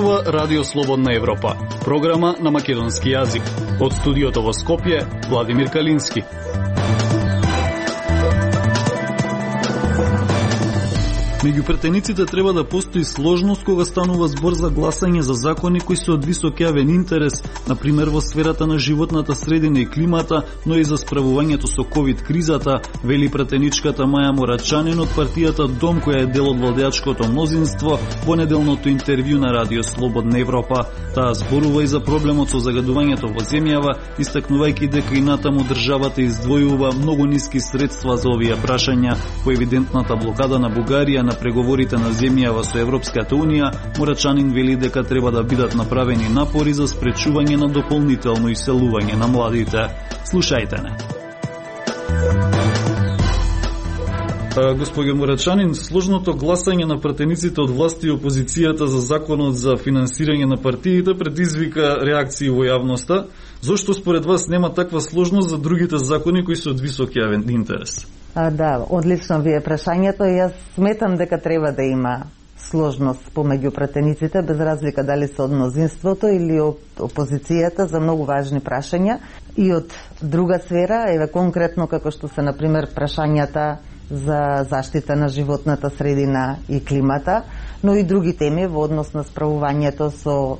зборува Радио Слободна Европа, програма на македонски јазик. Од студиото во Скопје, Владимир Калински. Меѓу претениците треба да постои сложност кога станува збор за гласање за закони кои се од висок јавен интерес, например во сферата на животната средина и климата, но и за справувањето со ковид-кризата, вели претеничката Маја Мурачанин од партијата Дом, која е дел од владеачкото мнозинство, во неделното интервју на Радио Слободна Европа. Таа зборува и за проблемот со загадувањето во земјава, истакнувајќи дека и натаму државата издвојува многу ниски средства за овие прашања. По евидентната блокада на Бугарија на преговорите на земјава со Европската Унија, Мурачанин вели дека треба да бидат направени напори за спречување на дополнително иселување на младите. Слушајте не. Господи Мурачанин, сложното гласање на пратениците од власти и опозицијата за законот за финансирање на партиите предизвика реакции во јавноста. Зошто според вас нема таква сложност за другите закони кои се од висок јавен интерес? Да, одлично ви е прашањето. Јас сметам дека треба да има сложност помеѓу пратениците, без разлика дали се од мнозинството или од опозицијата, за многу важни прашања. И од друга сфера, еве конкретно како што се, например, прашањата за заштита на животната средина и климата, но и други теми во однос на справувањето со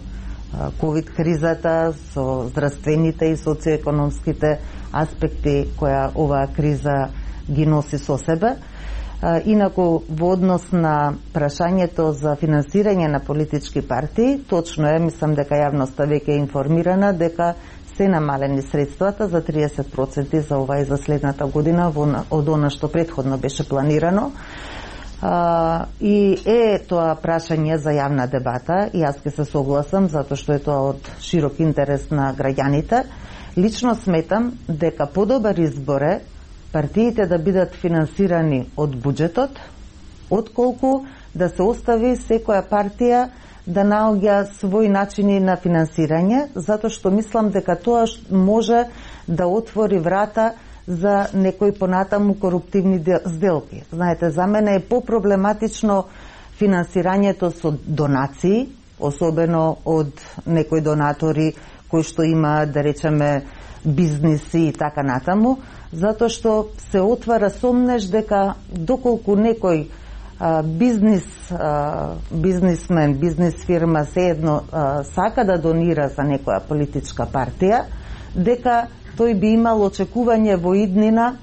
ковид-кризата, со здравствените и социоекономските аспекти која оваа криза ги носи со себе. Инаку, во однос на прашањето за финансирање на политички партии, точно е, мислам дека јавноста веќе е информирана дека се намалени средствата за 30% за ова и за следната година од она што претходно беше планирано. И е тоа прашање за јавна дебата и јас ќе се согласам затоа што е тоа од широк интерес на граѓаните. Лично сметам дека подобар избор е партиите да бидат финансирани од буџетот, отколку да се остави секоја партија да наоѓа своји начини на финансирање, затоа што мислам дека тоа може да отвори врата за некои понатаму коруптивни сделки. Знаете, за мене е попроблематично финансирањето со донации, особено од некои донатори кои што има, да речеме, бизниси и така натаму, затоа што се отвара сомнеж дека доколку некој бизнисмен, бизнис фирма sejedno сака да донира за некоја политичка партија, дека тој би имал очекување во иднина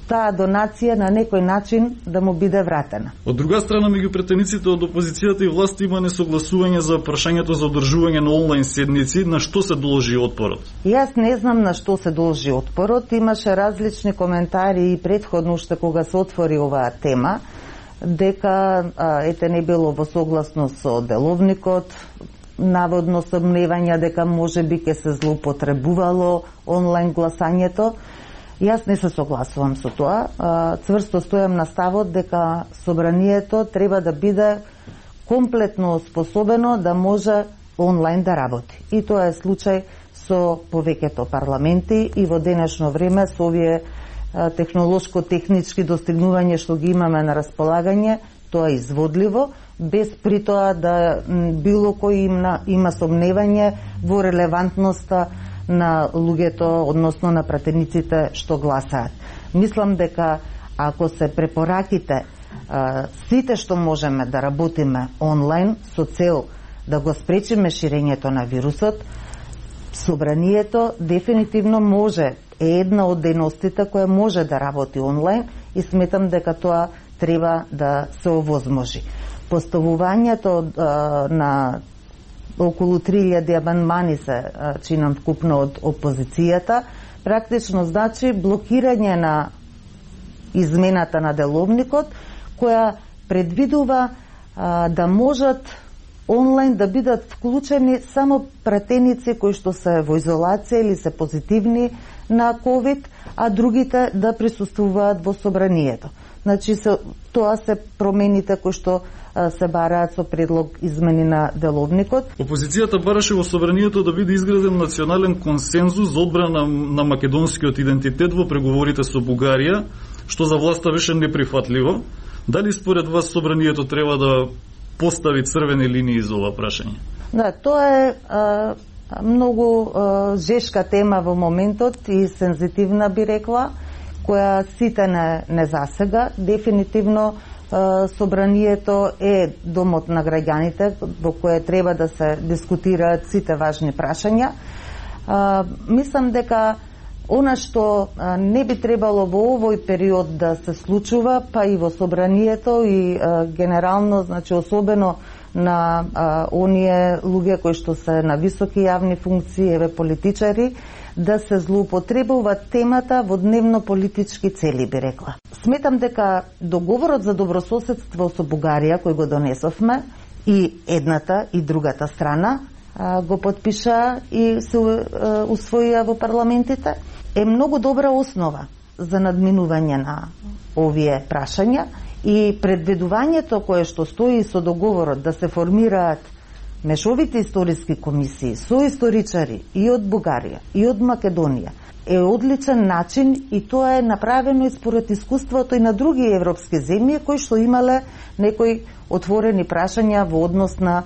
таа донација на некој начин да му биде вратена. Од друга страна, меѓу претениците од опозицијата и власти има несогласување за прашањето за одржување на онлайн седници. На што се должи отпорот? Јас не знам на што се должи отпорот. Имаше различни коментари и претходно уште кога се отвори оваа тема, дека ете не било во согласност со деловникот, наводно сомневања дека можеби ќе се злоупотребувало онлайн гласањето. Јас не се согласувам со тоа. Цврсто стојам на ставот дека собранието треба да биде комплетно способено да може онлайн да работи. И тоа е случај со повеќето парламенти и во денешно време со овие технолошко-технички достигнувања што ги имаме на располагање, тоа е изводливо, без при тоа да било кој има сомневање во релевантноста на луѓето, односно на пратениците што гласаат. Мислам дека ако се препораките сите што можеме да работиме онлайн со цел да го спречиме ширењето на вирусот, собранието дефинитивно може, е една од дејностите која може да работи онлайн и сметам дека тоа треба да се овозможи. Поставувањето на околу 3000 амандмани се чинам вкупно од опозицијата, практично значи блокирање на измената на деловникот, која предвидува да можат онлайн да бидат вклучени само пратеници кои што се во изолација или се позитивни на COVID, а другите да присуствуваат во собранието. Значи, тоа се промените кои што се бараат со предлог измени на деловникот. Опозицијата бараше во собранието да биде изграден национален консензус за одбрана на македонскиот идентитет во преговорите со Бугарија, што за власта беше неприфатливо. Дали според вас собранието треба да постави црвени линии за ова прашање? Да, тоа е многу жешка тема во моментот и сензитивна, би рекла, која сите не засега. Дефинитивно собранието е домот на граѓаните во кое треба да се дискутираат сите важни прашања. Мислам дека она што не би требало во овој период да се случува, па и во собранието и генерално, значи особено на оние луѓе кои што се на високи јавни функции, еве политичари, да се злоупотребува темата во дневно политички цели, би рекла. Сметам дека договорот за добрососедство со Бугарија, кој го донесовме, и едната и другата страна го подпиша и се усвоија во парламентите, е многу добра основа за надминување на овие прашања и предвидувањето кое што стои со договорот да се формираат мешовите историски комисии со историчари и од Бугарија и од Македонија е одличен начин и тоа е направено и според искуството и на други европски земји кои што имале некои отворени прашања во однос на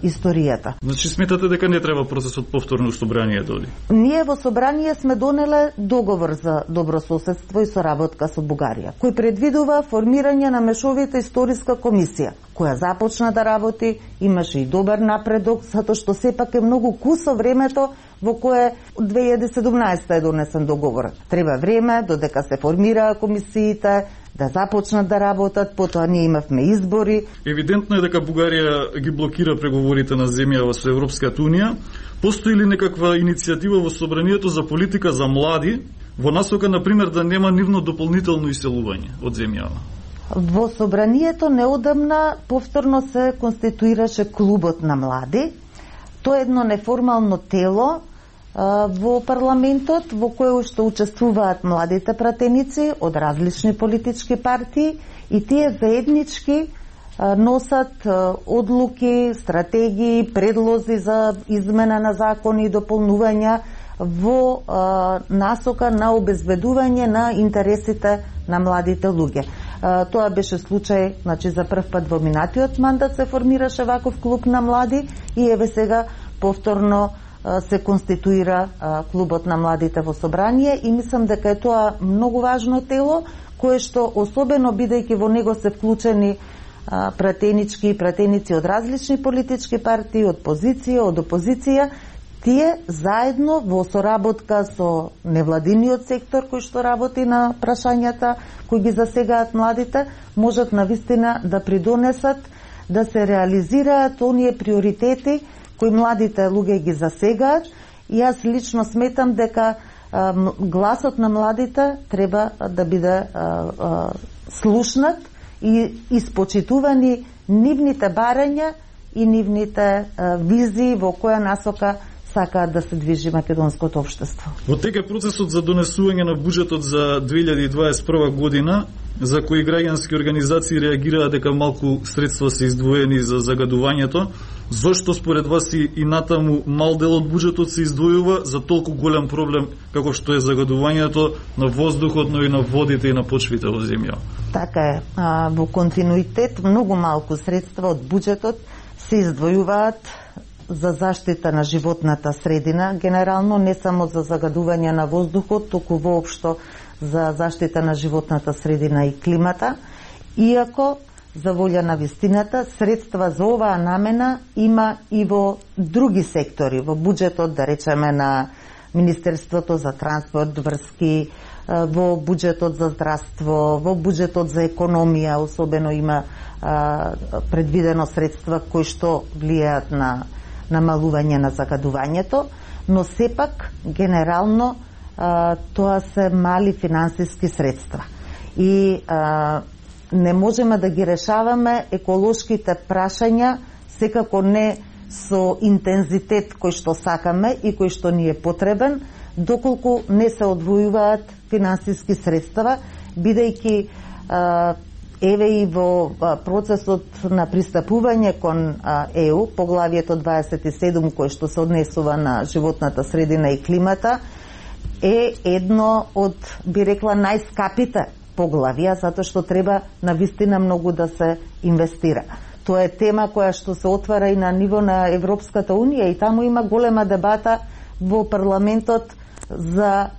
историјата. Значи сметате дека не треба процесот повторно собрание доди? Ние во собрание сме донеле договор за добрососедство и соработка со Бугарија, кој предвидува формирање на мешовита историска комисија, која започна да работи, имаше и добар напредок, затоа што сепак е многу кусо времето во кое 2017 е донесен договор. Треба време додека се формираа комисиите, да започнат да работат, потоа ние имавме избори. Евидентно е дека Бугарија ги блокира преговорите на земјава со Европската Унија. Постои ли некаква иницијатива во собранието за политика за млади, во насока, например, да нема нивно дополнително иселување од земјава? Во собранието неодамна повторно се конституираше клубот на млади. Тоа е едно неформално тело во парламентот во кое што учествуваат младите пратеници од различни политички партии и тие заеднички носат одлуки, стратегии, предлози за измена на закони и дополнувања во насока на обезбедување на интересите на младите луѓе. Тоа беше случај, значи за прв пат во минатиот мандат се формираше ваков клуб на млади и еве сега повторно се конституира клубот на младите во собрание и мислам дека е тоа многу важно тело кое што особено бидејќи во него се вклучени пратенички и пратеници од различни политички партии, од позиција, од опозиција, тие заедно во соработка со невладиниот сектор кој што работи на прашањата кои ги засегаат младите, можат навистина да придонесат да се реализираат оние приоритети кои младите луѓе ги засегаат и јас лично сметам дека гласот на младите треба да биде слушнат и испочитувани нивните барања и нивните визии во која насока сакаат да се движи македонското општество. Во тека процесот за донесување на буџетот за 2021 година, за кои граѓански организации реагираа дека малку средства се издвоени за загадувањето, зошто според вас и натаму мал дел од буџетот се издвојува за толку голем проблем како што е загадувањето на воздухот, но и на водите и на почвите во земја? Така е. Во континуитет многу малку средства од буџетот се издвојуваат за заштита на животната средина, генерално не само за загадување на воздухот, туку воопшто за заштита на животната средина и климата, иако за волја на вистината средства за оваа намена има и во други сектори, во буџетот, да речеме на Министерството за транспорт, врски, во буџетот за здравство, во буџетот за економија, особено има предвидено средства кои што влијаат на намалување на загадувањето, но сепак генерално тоа се мали финансиски средства. И не можеме да ги решаваме еколошките прашања секако не со интензитет кој што сакаме и кој што ни е потребен, доколку не се одвојуваат финансиски средства, бидејќи еве и во процесот на пристапување кон ЕУ, поглавието 27 кој што се однесува на животната средина и климата, е едно од, би рекла, најскапите поглавија, затоа што треба навистина многу да се инвестира. Тоа е тема која што се отвара и на ниво на Европската Унија и таму има голема дебата во парламентот за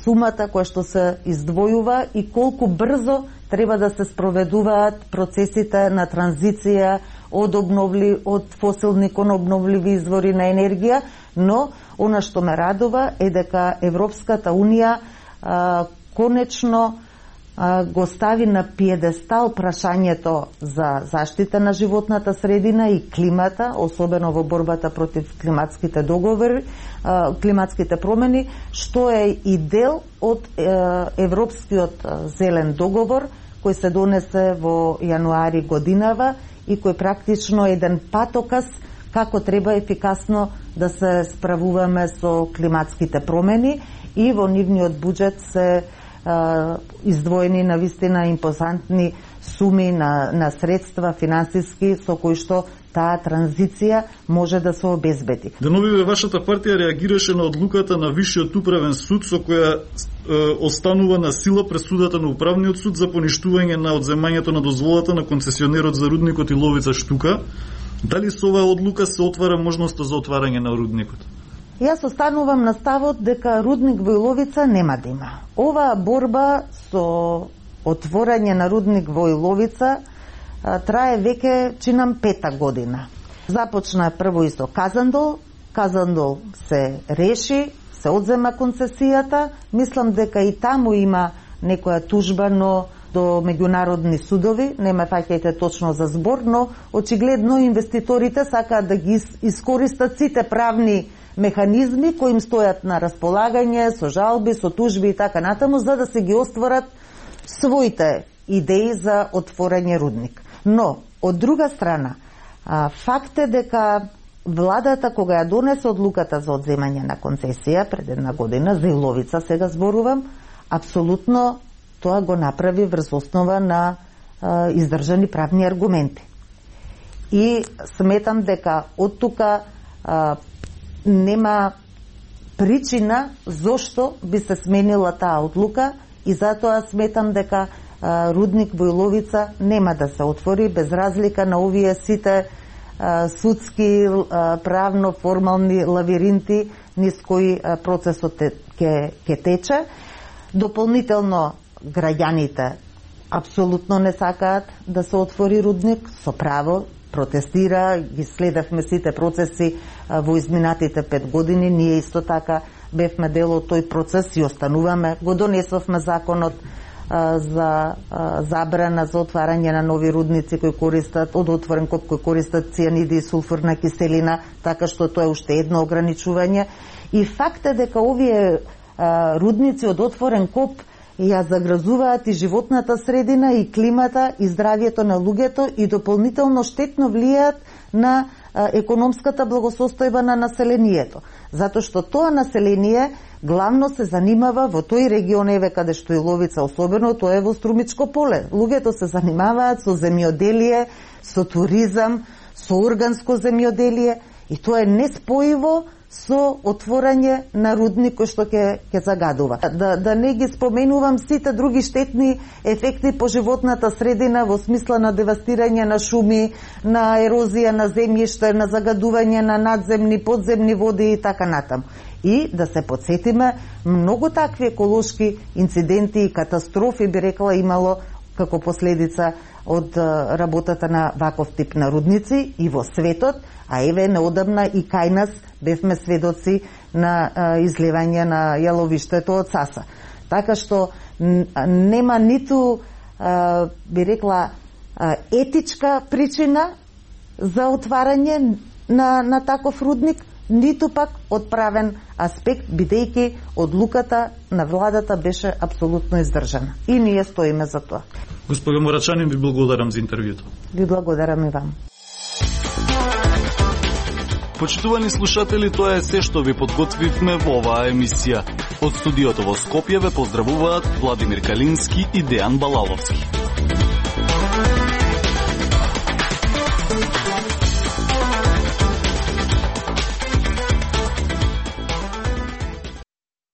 сумата која што се издвојува и колку брзо треба да се спроведуваат процесите на транзиција од фосилни кон обновливи извори на енергија, но она што ме радува е дека Европската Унија конечно го стави на пиедестал прашањето за заштита на животната средина и климата, особено во борбата против климатските договори, климатските промени, што е и дел од Европскиот зелен договор кој се донесе во јануари годинава и кој практично е еден патоказ како треба ефикасно да се справуваме со климатските промени и во нивниот буџет се издвоени на вистина импозантни суми на средства финансиски со кои што таа транзиција може да се обезбеди. Деновиве вашата партија реагираше на одлуката на Висшиот управен суд со која останува на сила пресудата на Управниот суд за поништување на одземањето на дозволата на концесионерот за рудникот Иловица Штука. Дали со оваа одлука се отвара можноста за отварање на рудникот? Јас останувам на ставот дека рудник во Иловица нема да има. Оваа борба со отворање на рудник во Иловица трае веќе, чинам, 5-та година. Започна прво и со Казандол. Казандол се реши, се одзема концесијата. Мислам дека и таму има некоја тужба, но до меѓународни судови, не ме фаќајте точно за збор, но очигледно инвеститорите сакаат да ги искористат сите правни механизми кои им стојат на располагање, со жалби, со тужби и така натаму, за да се ги остварат своите идеи за отворање рудник. Но, од друга страна, факт е дека владата, кога ја донесе одлуката за одземање на концесија пред една година, за Иловица сега зборувам, апсолутно тоа го направи врз основа на издржани правни аргументи. И сметам дека од тука нема причина зошто би се сменила таа одлука и затоа сметам дека рудник во Иловица нема да се отвори без разлика на овие сите судски, правно, формални лавиринти низ кои процесот ќе тече. Дополнително граѓаните апсолутно не сакаат да се отвори рудник, со право протестира, ги следевме сите процеси во изминатите 5 години, ние исто така бевме дел од тој процес и остануваме. Го донесовме законот за забрана за отварање на нови рудници кои користат од отворен коп, кои користат цијаниди и сулфурна киселина, така што тоа е уште едно ограничување. И факт е дека овие рудници од отворен коп ја загрозуваат и животната средина, и климата, и здравието на луѓето и дополнително штетно влијаат на економската благосостојба на населението. Затоа што тоа население главно се занимава во тој регион, еве каде што Иловица особено, тоа е во Струмичко поле. Луѓето се занимаваат со земјоделие, со туризам, со органско земјоделие и тоа е неспоиво со отворање на рудник кој што ќе загадува. Да не ги споменувам сите други штетни ефекти по животната средина во смисла на девастирање на шуми, на ерозија на земјиште, на загадување на надземни, подземни води и така натаму. И да се подсетиме, многу такви еколошки инциденти и катастрофи би рекла имало како последица од работата на ваков тип на рудници и во светот, а еве неодамна и кај нас бевме сведоци на излевање на јаловиштето од Саса. Така што нема ниту, би рекла, етичка причина за отварање на таков рудник, ниту пак од правен аспект, бидејќи одлуката на владата беше апсолутно издржана. И ние стоиме за тоа. Господа Морачанин, ви благодарам за интервјуто. Ви благодарам и вам. Почитувани слушатели, тоа е се што ви подготвивме во оваа емисија. Од студиото во Скопје ве поздравуваат Владимир Калински и Дејан Балаловски.